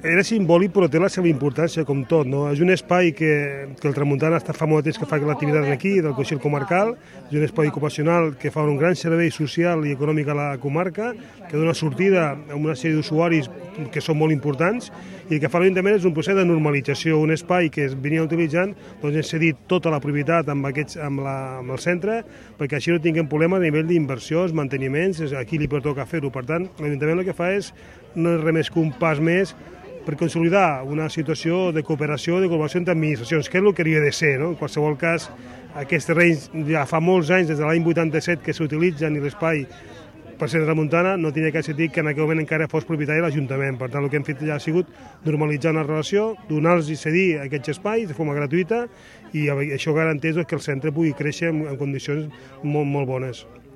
Era simbòlic però té la seva importància com tot, no? És un espai que el Tramuntana està fa molt temps que fa l'activitat aquí, del Consell Comarcal, és un espai ocupacional que fa un gran servei social i econòmic a la comarca, que dona sortida a una sèrie d'usuaris que són molt importants, i el que fa l'Ajuntament és un procés de normalització, un espai que es venia utilitzant, doncs hem cedit tota la propietat amb el centre, perquè així no tinguem problemes a nivell d'inversions, manteniments, aquí li pertoca fer-ho. Per tant, l'Ajuntament el que fa és no és res més que un pas més per consolidar una situació de cooperació, de col·laboració entre administracions, que és el que hauria de ser, no? En qualsevol cas, aquests terrenys ja fa molts anys, des de l'any 87, que s'utilitzen i l'espai per ser Tramuntana no tenia cap sentit que en aquell moment encara fos propietari de l'Ajuntament. Per tant, el que hem fet ja ha sigut normalitzar una relació, donar-los i cedir aquests espais de forma gratuïta i això garanteix que el centre pugui créixer en condicions molt bones.